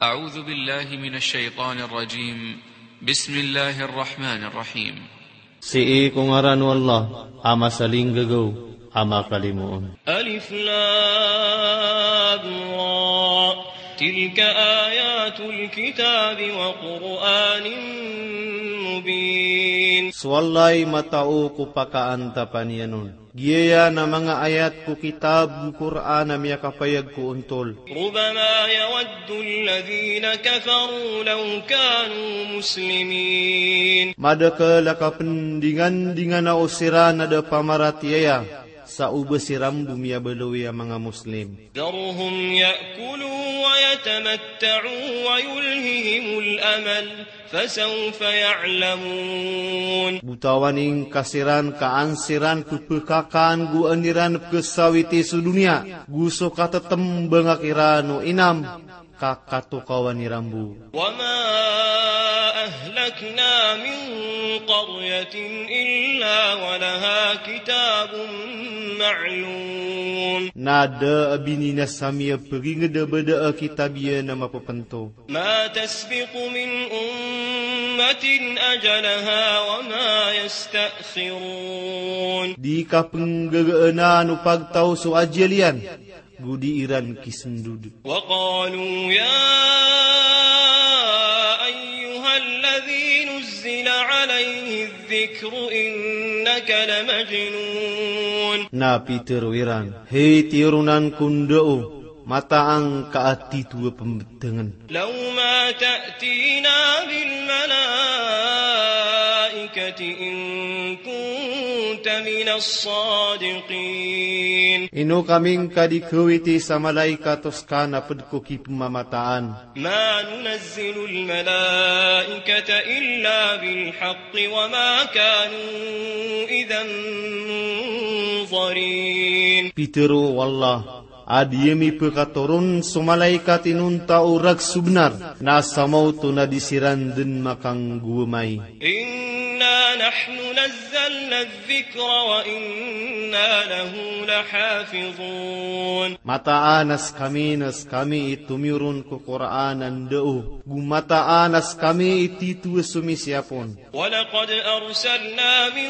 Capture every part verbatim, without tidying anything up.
أعوذ بالله من الشيطان الرجيم. بسم الله الرحمن الرحيم. Sii ko ngaran o Allah a masalinggagaw a makalimoon. ألف لام را. تلك آيات الكتاب وقرآن مبين. So Allah i matao ko pakaantapan iyan on. Giyaya na manga ayat ko kitab ko Qur'an a miyakapayag ko ontol. ربما يود الذين كفروا لو كانوا مسلمين. Madakl a kapndingandingana o siran a da pamaratiyaya sa o ba siran bo miyabaloy a manga Muslim. ذرهم يأكلوا ويتمتعوا ويلههم الأمل. فسوف يعلمون. Bo tawan ingka siran ka an siran pphakakan go an iran pkhasawiti so doniya, go so katatmbanga kiran o inam, ka katokawan iran bo. وما أهلكنا من قرية إلا ولها كتاب معلوم. Na da a bininasa mi a pagingd a ba da a kitab iyan a mapphantho. ما تسبق من أمة أجلها وما يستأخرون. Di kapnggagaana o pagtaw so ajal iyan, go di iran kisndod. وقالوا يا أيها الذي نزل عليه الذكر إنك لمجنون. Na pitharo iran, hay tironan ko ndao, mataan ka a tito a pmbtngn. لو ما تأتينا بالملائكة إن كنت من الصادقين. Ino ka mingka di khawiti sa malaikat o ska na pd ko kipmamataan. ما ننزل الملائكة إلا بالحق وما كانوا إذا منظرين. Pitharo o Allah, a di ami pkhatoron so malaikat inonta o rakhs o bnar, na sa maoto na di siran dn makanggowamay. إنا نحن نزلنا الذكر وإنا له لحافظون. Mataan a skami na skami i tomiyoron ko Qur'an a ndao, go mataan a skami i tito a somisiyap on. ولقد أرسلنا من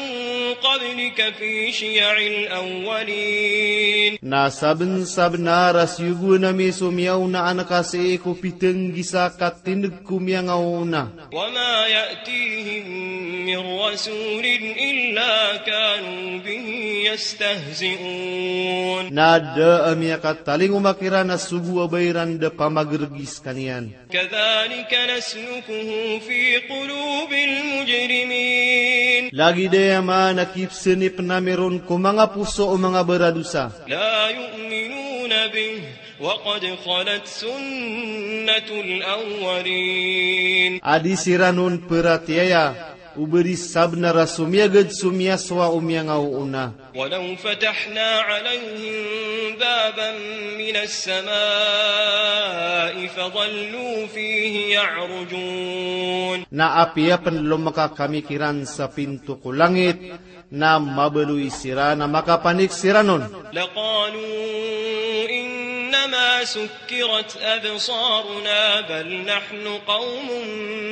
قبلك في شيع الأولين. Na sabnsabnar a siyogoan ami so miyaona anka sii ko pitnggisa ka tindg ko miyangaoona. وما يأتيهم من رسول إلا كانوا به يستهزئون. Na da a miyakatalingoma kiran a sogo a ba iran da pamagrgi skaniyan. كذلك نسلكه في قلوب المجرمين. Lagid aya man a kipsnipn ami ron ko manga poso o manga baradosa. لا يؤمنون به وقد خلت سنة الأولين. A di siran on pharatiyaya, o ba di sabnar a somiyagad so miyasowa o miyangaoona. ولو فتحنا عليهم بابا من السماء فظلوا فيه يعرجون. Na apiya pn lomaka kami kiran sa pinto ko langit, na mabaloy siran a makapanik siran on. لقالوا إنما سكرت أبصارنا بل نحن قوم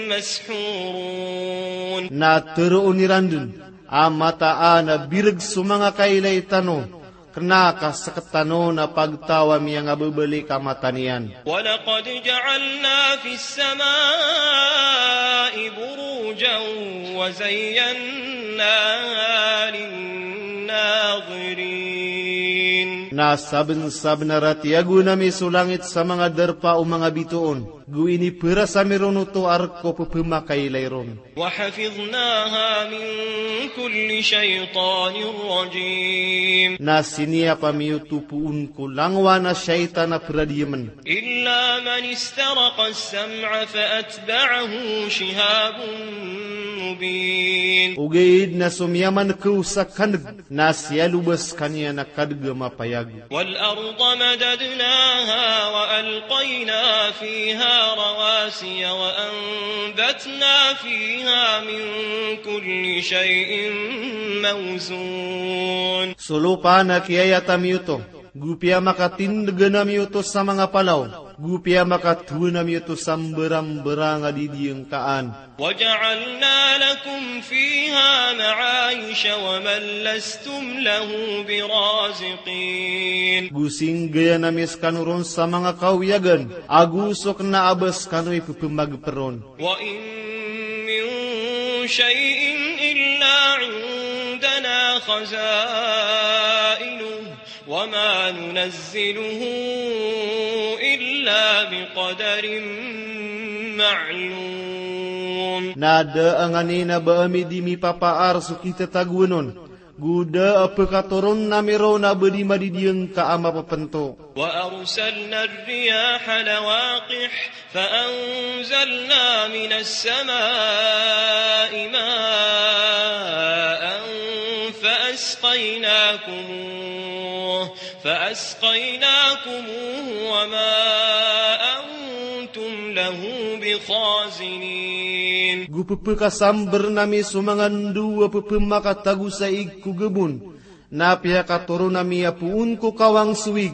مسحورون. Na tharoon iran dn a mataan a birg so manga kailay tano, kna ka sktano na pagtaw a miyangababalik a mata niyan. ولقد جعلنا في السماء بروجا وزيناها للناظرين. Na sabnsabnar a tiyagoan ami so langit sa manga darpa o manga bitoon, go iniparas ami ron oto a rk o pphmakailay ron. وحفظناها من كل شيطان رجيم. Na siniyap ami oto poon ko langowan a shaytan a pradiyamn. إلا من استرق السمع فأتبعه شهاب مبين. Ogaid na so miyamankaw sa kandg, na siyaloba skaniyan a kadg a mapayag. والأرض مددناها وألقينا فيها رواسي وأنبتنا فيها من كل شيء موزون. So lopa na kiyayat ami oto, go piyamakatindgan ami oto sa manga palaw, Go piyamakatowan ami oto sa mbarambarang a didiyangkaan. وجعلنا لكم فيها معايش ومن لستم له برازقين. Go singgayan ami skano ron sa manga kawiyagan, ago so kna a ba skano i pphamagpr on. وإن من شيء إلا عندنا خزائنه وما ننزله إلا بقدر معلوم. Na da a nganin a ba ami di mipapaar so kitatagoan on, go da a pkatoron ami ron a ba di madidiyangka a mapapnto. وأرسلنا الرياح لواقح فأنزلنا من السماء ماء فأسقيناكموه، فأسقيناكموه وما أنتم له بخازنين. Go ppkasambrn ami so manga ndo a pphamakatago sa ig ko gabon, na piyakatoron ami a poon ko kawang so ig,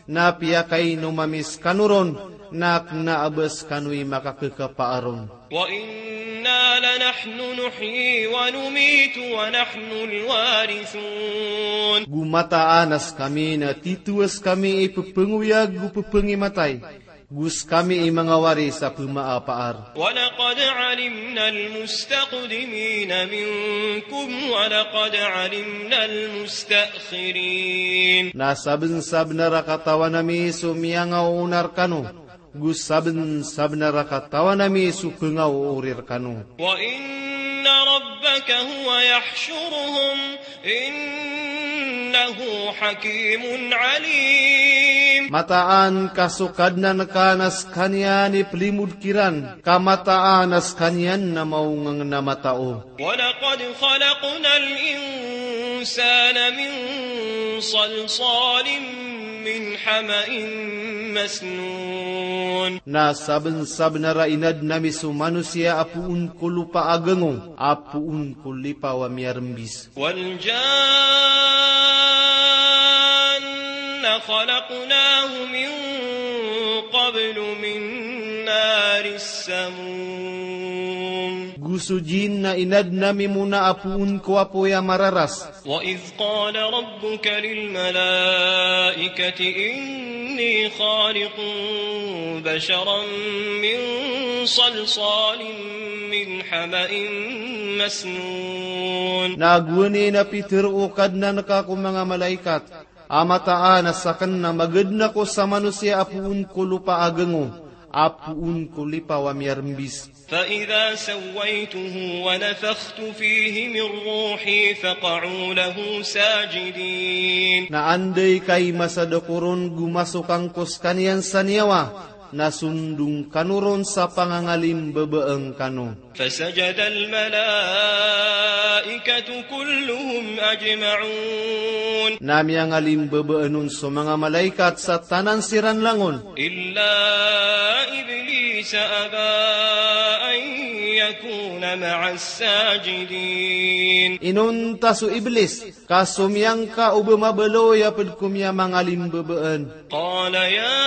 na piyakainom ami skano ron, na kna a ba skano i makakakapaar on. وإنا لنحن نحيي ونميت ونحن الوارثون. Go mataan a skami na tito a skami i pphangoyag go pphangimatay, go skami i manga waris a pmaapaar. ولقد علمنا المستقدمين منكم ولقد علمنا المستأخرين. Na sabnsabnar a katawan ami so miyangaoona rkano, go sabnsabnar a katawan ami so pngaoori rkano. وإن ربك هو يحشرهم إنه حكيم عليم. Mataan ka so Kadnan ka na skaniyan i plimod kiran, ka mataan a skaniyan na maongngn a matao. ولقد خلقنا الإنسان من صلصال من حمأ مسنون. Na sabnsabnar a inadn ami so manosiya a poon ko lopa a gango, a poon ko lipaw a miyarmbis. والجان خلقناه من قبل من نار السموم. Go so jinn na inadn ami mona a poon ko apoy a mararas. وإذ قال ربك للملائكة إني خالق بشرا من صلصال من حمأ مسنون. Na gowani na pitharo o Kadnan ka ko manga malaikat a mataan a sakn na magadn ako sa manosiya a poon ko lopa a gango, a poon ko lipaw a miyarmbis. فإذا سويته ونفخت فيه من روحي فقعوا له ساجدين. Na anday ka i masad ako ron go masok angko skaniyan sa niyawa, na sondong kano ron sa pangangalimbabaan kano. فسجد الملائكة كلهم أجمعون. Na miyangalimbabaan on so manga malaikat sa tanan siran langon. إلا إبليس أبى أن يكون مع الساجدين. Inonta so Iblis, ka so miyangka o ba mabaloy a pd ko miyamangalimbabaan. قال يا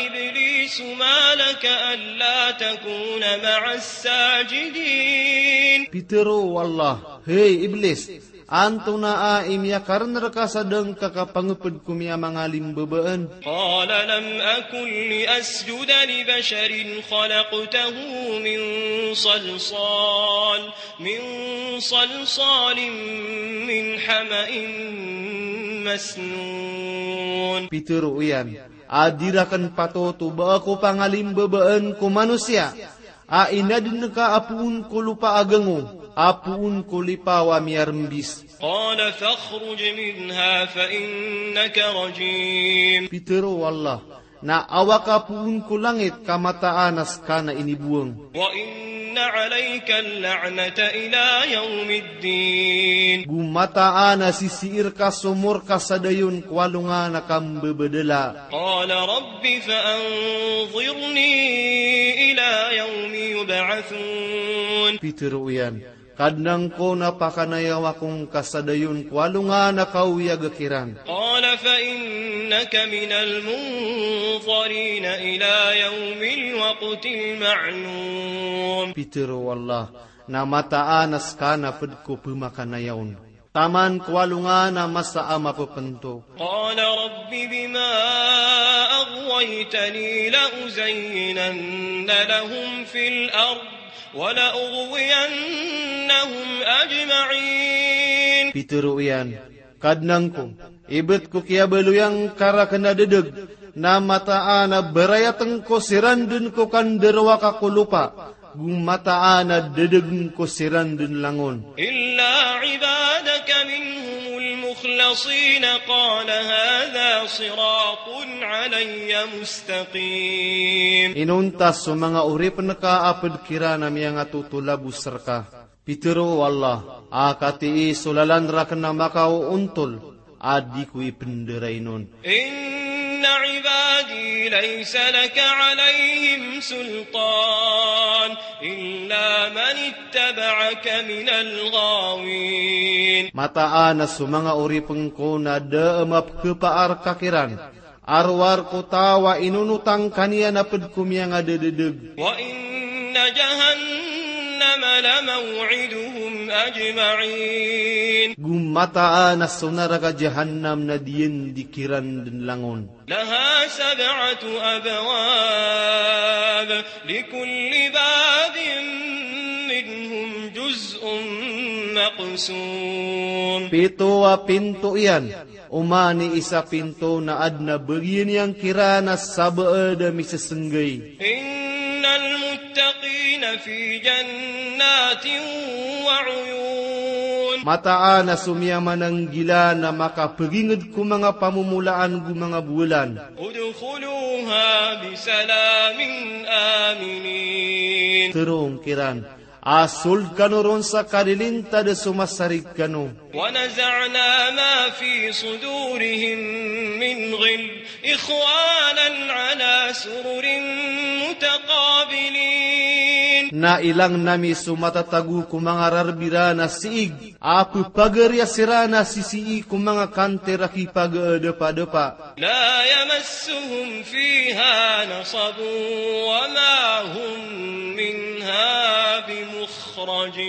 إبليس ما لك ألا تكون مع الساجدين. Pitharo o Allah, hay Iblis, antonaa i miyakarn rka sa da ngka kapangpd ko miyamangalimbabaan? قال لم أكن لأسجد لبشر خلقته من صلصال من صلصال من حمأ مسنون. Pitharo iyan, a di rakn patot o ba ako pangalimbabaan ko manosiya a inadn ka a poon ko lopa a gango, a poon ko lipaw a miyarmbis. قال فاخرج منها فإنك رجيم. Pitharo o Allah, na awa ka poon ko langit ka mataan a ska na inibowang. وإن عليك اللعنة إلى يوم الدين. Go mataan a sisii rka so morka sa dayon ko alongan a kambabadala. قال رب فأنظرني إلى يوم يبعثون. Pitharo iyan, Kadnan ko, na pakanayawa ko ngka sa dayon ko alongan a kaoyag kiran. قال فإنك من المنظرين إلى يوم الوقت المعلوم. Pitharo o Allah, na mataan a ska na pd ko pmakanayawn taman ko alongan a masa a mapphantho. قال رب بما أغويتني لأزينن لهم في الأرض ولأغوينهم أجمعين. Pitharo iyan, Kadnan ko, ibt ko kiyabaloy angka rakn a ddg, na mataan a barayatn ko siran dn ko kandarowaka ko lopa, go mataan a ddgn ko siran dn langon. إلا عبادك منهم المخلصين قال هذا صراط علي مستقيم. Inonta so manga oripn ka a pd kiran a miyangatotolabos rka. Pitharo o Allah, a katii so lalan rakn a makaoontol a di ko ipndarainon. إن عبادي ليس لك عليهم سلطان إلا من اتبعك من الغاوين. Mataan a so manga oripn ko na da a mapkhapaar ka kiran a rowar ko taw a inonotang ka niyan a pd ko miyangadddg. وإن جهنم لموعدهم أجمعين. Go mataan a so naraka Jahannam na diyandi kiran dn langon. لها سبعة أبواب لكل باب منهم جزء مقسوم. Pito a pinto iyan, oman i isa pinto na adn a bagiyan iyan kiran a sabaad a misesnggay. إن المتقين في جنات وعيون. Mataan a so miyamananggila na makapagingd ko manga pamomolaan go manga bowalan. ادخلوها بسلام آمنين. Tharoon kiran a sold kano ron sa kalilintad a so masarig kano. ونزعنا ما في صدورهم من غل إخوانا على سرر متقابلين. Na ilang nami so matatago ko manga rarb iran a siig a pphagariya siran a sisii ko manga kantir a kipagaadpadapa. لا يمسهم فيها نصب وما هم منها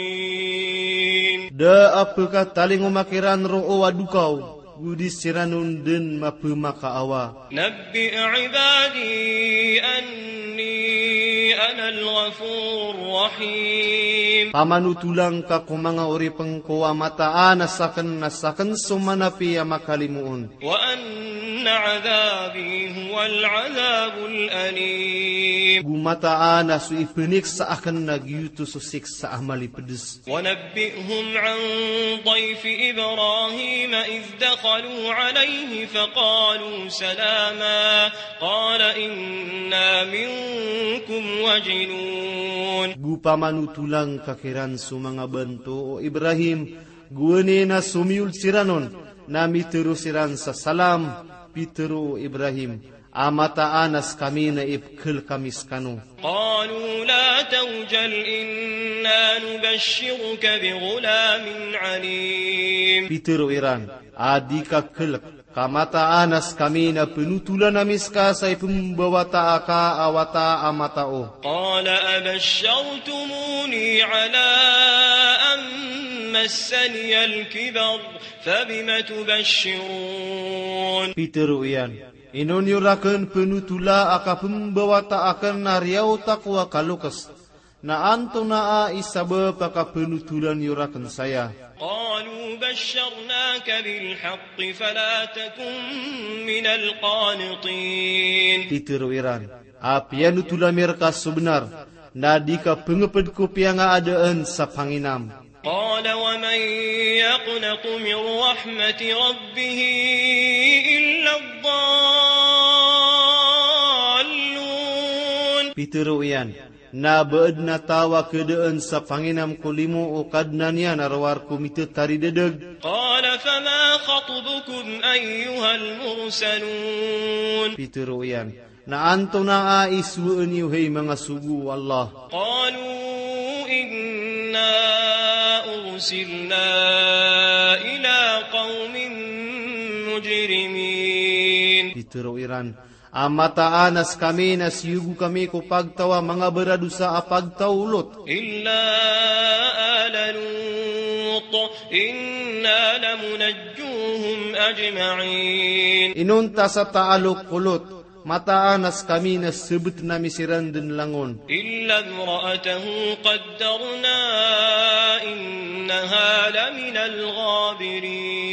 بمخرجين. Da a pkatalingoma kiran roo a dokaw, go di siran on dn mapmakaawa. نبئ عبادي أني أنا الغفور الرحيم. Pamanotola ngka ko manga oripn ko a mataan a sakn na sakn so manapi a makalimoon. وأن عذابي هو العذاب الأليم. Go mataan a so ipniksa akn na giyoto so siksa a malipds. ونبئهم عن ضيف إبراهيم إذ دخلوا عليه فقالوا سلاما قال إنا منكم وجلون. Go pamanotola ngka kiran so manga banto o Ibrahim, gowani na somiyol siran on, na mitharo siran sa salam, pitharo o Ibrahim, a mataan a skami na ipkhl kami skano. قالوا لا توجل إنا نبشرك بغلام عليم. Pitharo iran, a di ka khlk, ka mataan a skami na pnotolan ami ska sa ipmbawataa ka a wata a matao. قال أبشرتموني على أن مسني الكبر فبم تبشرون. Pitharo iyan, ino niyo rakn pnotola a kapmbawata akn a riyaot ako a kaloks, na antonaa i sabap a kapnotolan iyo rakn saya? قالوا بشرناك بالحق فلا تكن من القانطين. Pitharo iran, a piyanotola mi rka so bnar, na di ka pngpd ko piyangaadaan sa panginam. قال ومن يقنط من رحمة ربه إلا الضالون. Pitharo iyan, na ba adn a taw a khadaan sa panginam ko limo o Kadnan iyan a rowar ko mitataridadg. قال فما خطبكم أيها المرسلون. Pitharo iyan, na antonaa i sowaan iyo hay manga sogo o Allah? قالوا إنا أرسلنا إلى قوم مجرمين. Pitharo iran a mataan a skami na siyogo kami ko pagtaw a manga baradosa a pagtaw o Lot. إلا آل لوط إنا لمنجوهم أجمعين. Inonta sa taalok ko Lot, mataan a skami na sebetn ami siran den langon. إلا امرأته قدرنا إنها لمن الغابرين.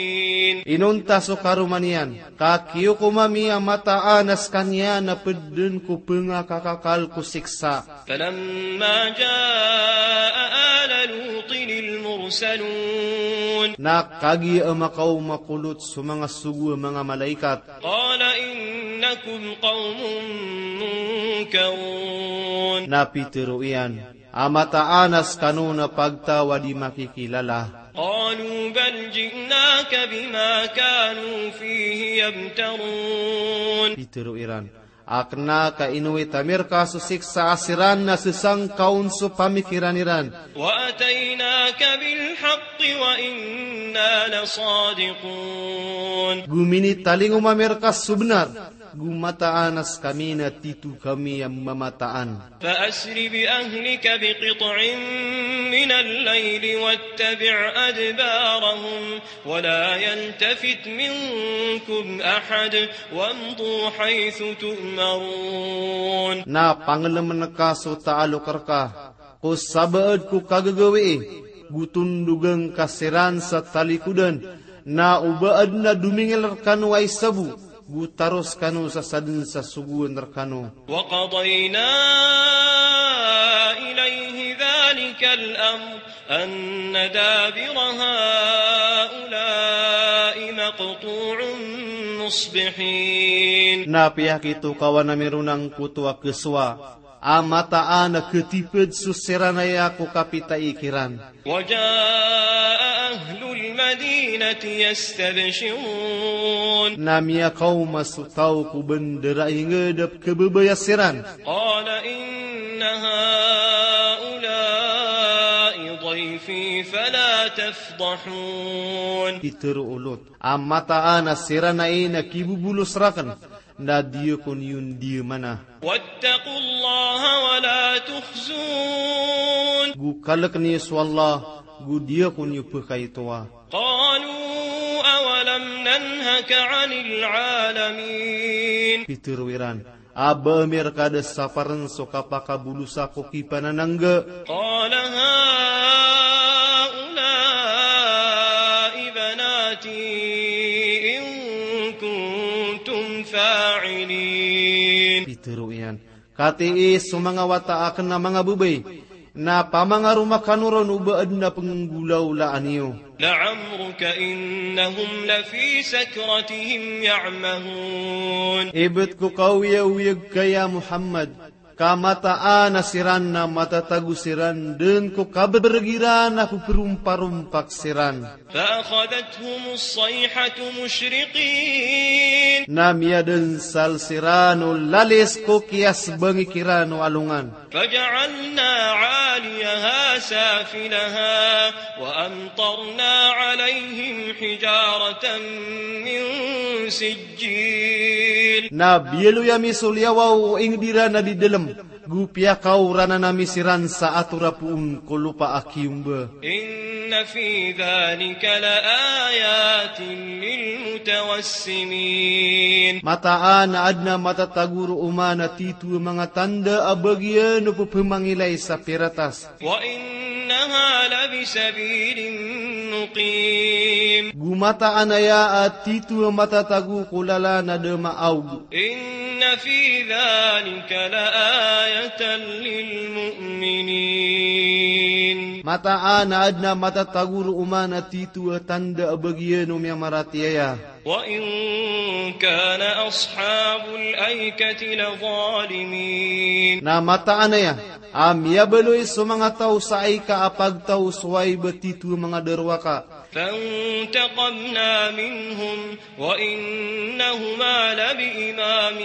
Inonta so karoma niyan, ka kiyokom ami a mataan a skaniyan na ped den ko pengakakakal ko siksa. فلما جاء آل لوط المرسلون. Na kagiya a makaoma ko Lot so manga sogo a manga malaikat. قال إنكم قوم منكرون. Na pitharo iyan a mataan a skano na pagtaw a di makikilala. قالوا بل جئناك بما كانوا فيه يمترون. Pitharo iran a kena ka inowit ami rka so siksa a siran na sesangkaon so pamikiran iran. وأتيناك بالحق وإنا لصادقون. Go minitalingoma ami rka so benar, go mataan a skami na tito kami a mamataan. فأسر بأهلك بقطع من الليل واتبع أدبارهم ولا يلتفت منكم أحد وامضوا حيث تؤمرون. Na pangelemen ka so taalok rka ko sabaad ko kagagawii, go tondogen ka siran sa talikodan, na o ba aden a domingil rekano a isa bo, go taros kano sa saden sa sogoan rekano. وقضينا إليه ذلك الأمر أن دابر هؤلاء مقطوع مصبحين. Na piyakitokawan ami ron angkoto a kesowa a mataan a ketiped so siran aya ko kapitay kiran. وجاء أهل المدينة يستبشرون. Na miyakaoma so taw ko bandara inged a pekebebaya siran. قال إن هؤلاء ضيفي فلا تفضحون. Pitharo o Lot a mataan a siran ai na kibobolos raken, na di ako niyo ndiyamana. واتقوا الله ولا تخزون. Go kalek niyo so Allah, go di ako niyo pekaitowa. قالوا أولم ننهك عن العالمين. Pitharo iran a ba ami rka da saparen so kapakabolosa ko kipananangga. قال هؤلاء بناتي إن كنتم فاعلين. Pitharo iyan, katii so manga wata aken a manga bebay, na pamangaroma kano ron o ba aden a penggolawlaan iyo. لعمرك إنهم لفي سكرتهم يعمهون. Ibet ko kaoyagoyag ka ya Muhammad, ka mataan a siran na matatago siran den ko kabereg iran a peperomparompak siran. فأخذتهم الصيحة مشرقين. Na miyadensal siran o lalis ko kiyasbangi kiran o alongan. فجعلنا عاليها سافلها وأمطرنا عليهم حجارة من سجيل. Na biyaloy ami so liyawaw o inged iran a di delem, go piyakaoranan ami siran sa atora poon ko lopa a kiyomba. إن في ذلك لآيات للمتوسمين. Mataan a aden a matatago roo man a tito a manga tanda a bagian o pepemangilay sa piratas. وإنها لبسبيل مقيم. Go mataan aya a tito a matatago ko lalan a da maaog. إن في ذلك لآية للمؤمنين. Mataan a aden a matatago roo man a tito a tanda a bagian o miyamaratiyaya. وإن كان أصحاب الأيكة لظالمين. Na mataan aya a miyabaloy so manga taw sa Aika a pagtaw so Waib a tito a manga darowaka. فانتقمنا منهم وإنهما لبإمام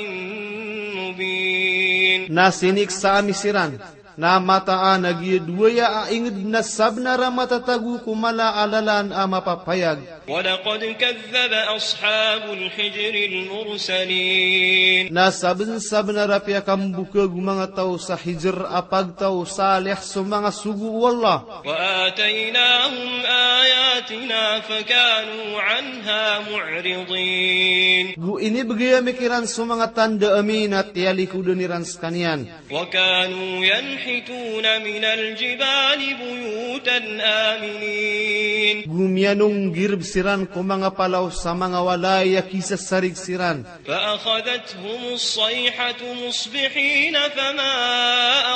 مبين. Na siniksa ami siran, Na mataan a giya dowa aya a ingd na sabnar a matatago ko mala a lalan a mapapayag. ولقد كذب أصحاب الحجر المرسلين. Na sabnsabnar a piyakambokhag o manga taw sa Hijr a pagtaw, Salih, so manga sogo o Allah. وآتيناهم آياتنا فكانوا عنها معرضين. Go inibgay ami kiran so manga tanda ami na tiyalikodan iran skaniyan. وكانوا ينحتون من الجبال بيوتا آمنين. Go miyanonggirb siran ko manga palaw sa manga walay a kisasarig siran. فأخذتهم الصيحة مصبحين فما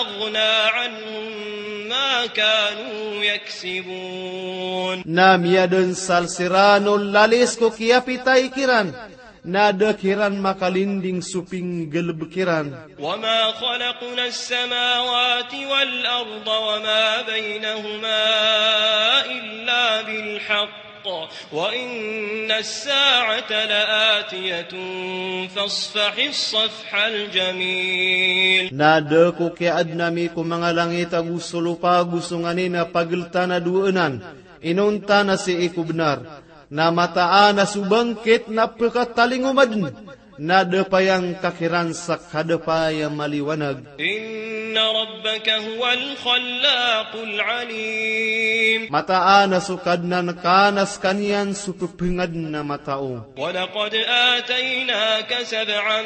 أغنى عنهم ما كانوا يكسبون. Na miyadnsal siran o lalis ko kiyapitay kiran, na da kiran makalinding so pinggalbk iran. وما خلقنا السماوات والأرض وما بينهما إلا بالحق وإن الساعة لآتية فاصفح الصفح الجميل. Na da ko kiyaadn ami ko manga langit ago so lopa ago so nganin a pagltan a dowa anan, inonta na sii ko bnar. Na mataan a so bangkit na pkatalingoma dn, na da payangka kiran sa kadapay a maliwanag. إن ربك هو الخلاق العليم. Mataan a so Kadnan ka na skaniyan so pphangadn a matao. ولقد آتيناك سبعا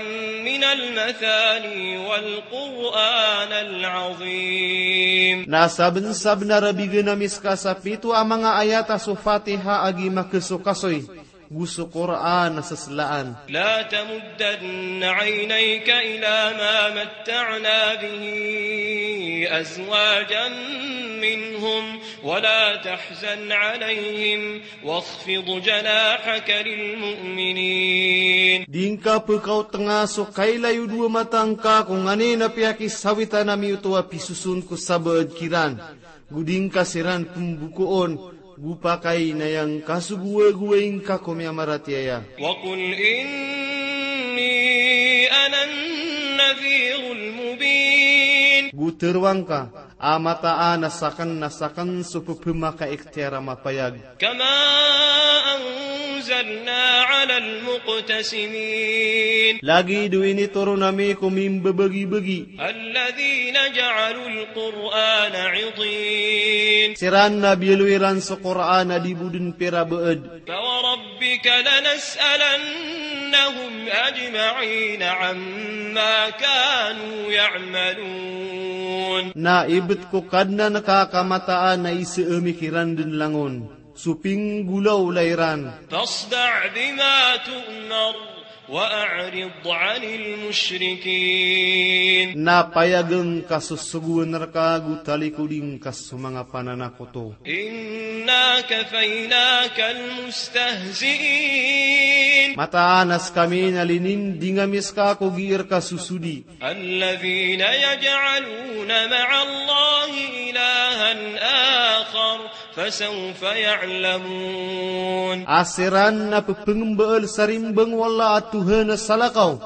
من المثاني والقرآن العظيم. Na sabnsabnar a bign ami ska sa pito a manga ayat a so Fatiha a giya makasokasoy, go so Qur'an a saslaan. لا تمدن عينيك إلى ما متعنا به أزواجا منهم ولا تحزن عليهم واخفض جناحك للمؤمنين. Di ngka pkaotnga so kailay o dowa mata ngka ko nganin a piyakisawitan ami oto a pisoson ko sabaad kiran. Go di ngka siran pmbokoon, go pakay na aya ngka so gowagowai ngka ko miyamaratiyaya. وقل إني أنا النذير المبين. Go tharoa ngka a mataan a sakn na sakn so pphamakaiktiyar a mapayag. كما أنزلنا على المقتسمين. Lagid o initoron ami ko mimbabagibagi. الذين جعلوا القرآن عضين. Siran na biyaloy iran so Qur'an a di bo dn pirabaad. فوربك لنسألنهم أجمعين عما كانوا يعملون. Na ibt ko Kadnan ka ka mataan a isa ami kiran dn langon so pinggolawla iran. فاصدع بما تؤمر وأعرض عن المشركين. Na payagn ka so sogoan rka go talikodi ngka so manga pananakoto. إنا كفيناك المستهزئين. Mataan a skami na lininding ami ska ko gii rka sosodi. الذين يجعلون مع الله إلها آخر فسوف يعلمون. A siran na pphangambaal sa rimbang o Allah a Tuhan a salakaw,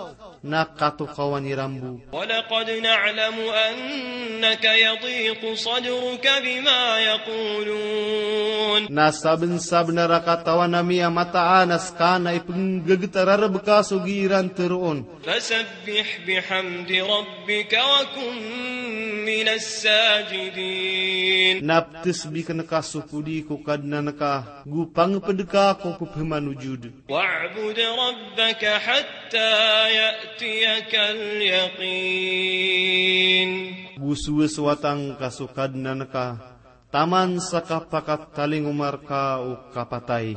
na katokawan iran bo. ولقد نعلم أنك يضيق صدرك بما يقولون. Na sabnsabnar a katawan ami a mataan a ska na ipngggt a rarb ka so gii ran tharoon. فسبح بحمد ربك وكن من الساجدين. Na ptsbikn ka so podi ko Kadnan ka, go pangpd ka ko pphamanojod. واعبد ربك حتى يأتيك اليقين. Go sowasowata ngka so Kadnan ka taman sa kapakatalingoma rka o kapatay.